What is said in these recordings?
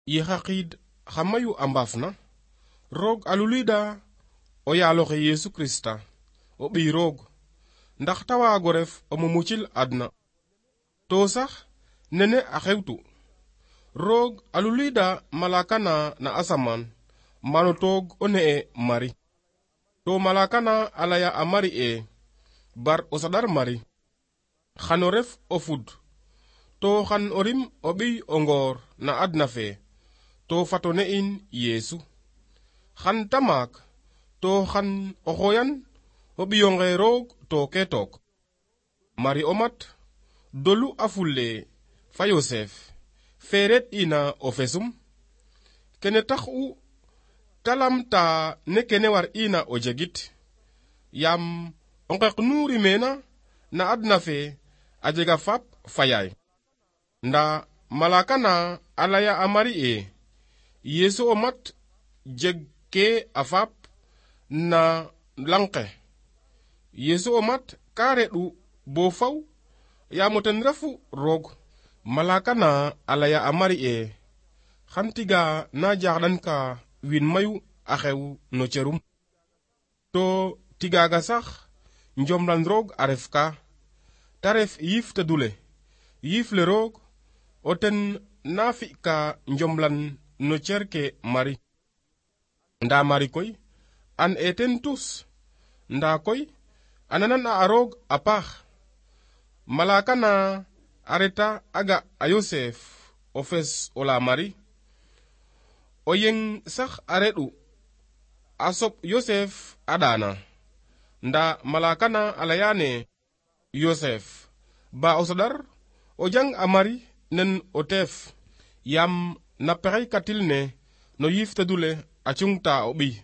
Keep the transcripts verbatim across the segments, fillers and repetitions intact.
Yexaqid xamayu ambafna roog alulida o yaaloxe Yesu Krista o ɓiy roog ndax ta waago ref o mumucil adna to sax nene a xewtu roog alulida malaka na na asamaan mano toog o ne'e Mari to malaka na a laya a Mari e bar o sadar Mari xano ref o fud to xan o rim o ɓiy o ngoor na adna fe to fato ne'in Yesu xan ta maak to xan o xoyan o ɓiyonge roog to ke took Mari o mat dolu a fulle fa Yosef feret ina o fesum kene tax u talamta ne kene war ina o jegit yam o ngek nu rimena na adna fe a jega fap fa yaay nda malaka na a laya a Mari e Yesu o mat jeg ke a fap na langke Yesu o mat ka reɗu bo faw yamo ten refu roog malaka na a laya a Mari e xan tiga na jaxɗan ka win mayu a xew no cerum to tigaga sax njomlan roog a ref ka ta ref yiif tedule yiif le roog o ten na fi ka njomlan no cer ke Mari nda Mari koy an e ten tus nda koy ananan a roog a paax malaka na a reta aga a Yosef o fes o la Mari o yeng sax a reɗu a soɓ Yosef a ɗana nda malaka na a layane Yosef ba o sadar o jang a Mari nen o teef yam na pexey katil ne no yiif tedule a cungta o ɓiy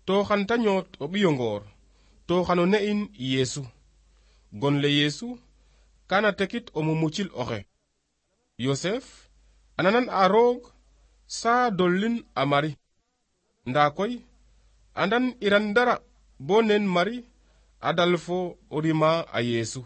to xan ta ñoot o ɓiyo ngoor to xano ne'in Yesu gon le Yesu kana tekit o mumucil oxe Yosef ananan a roog sa dollin a Mari nda koy andan iran dara bo nen Mari a dal fo o rima a Yesu